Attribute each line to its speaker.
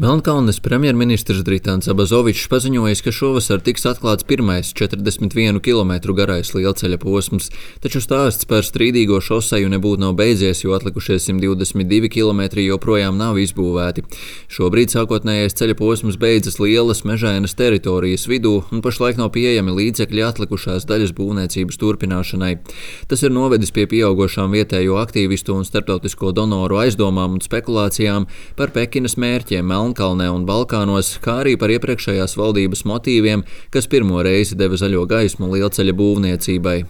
Speaker 1: Melnkalnes premjerministrs Dritāns Abazovičs paziņojis, ka šovasar tiks atklāts pirmais 41 km garais lielceļa posms, taču stāsts par strīdīgo šoseju nebūtu nav beidzies, jo atlikušie 122 km joprojām nav izbūvēti. Šobrīd sākotnējais ceļa posms beidzas lielas mežainas teritorijas vidū un pašlaik nav pieejami līdzekļi atlikušās daļas būvniecības turpināšanai. Tas ir novedis pie pieaugošām vietējo aktīvistu un starptautisko donoru aizdomām un spekulācijām par Pekinas mērķiem Melnkalnē un Balkānos, kā arī par iepriekšējās valdības motīviem, kas pirmo reizi deva zaļo gaismu lielceļa būvniecībai.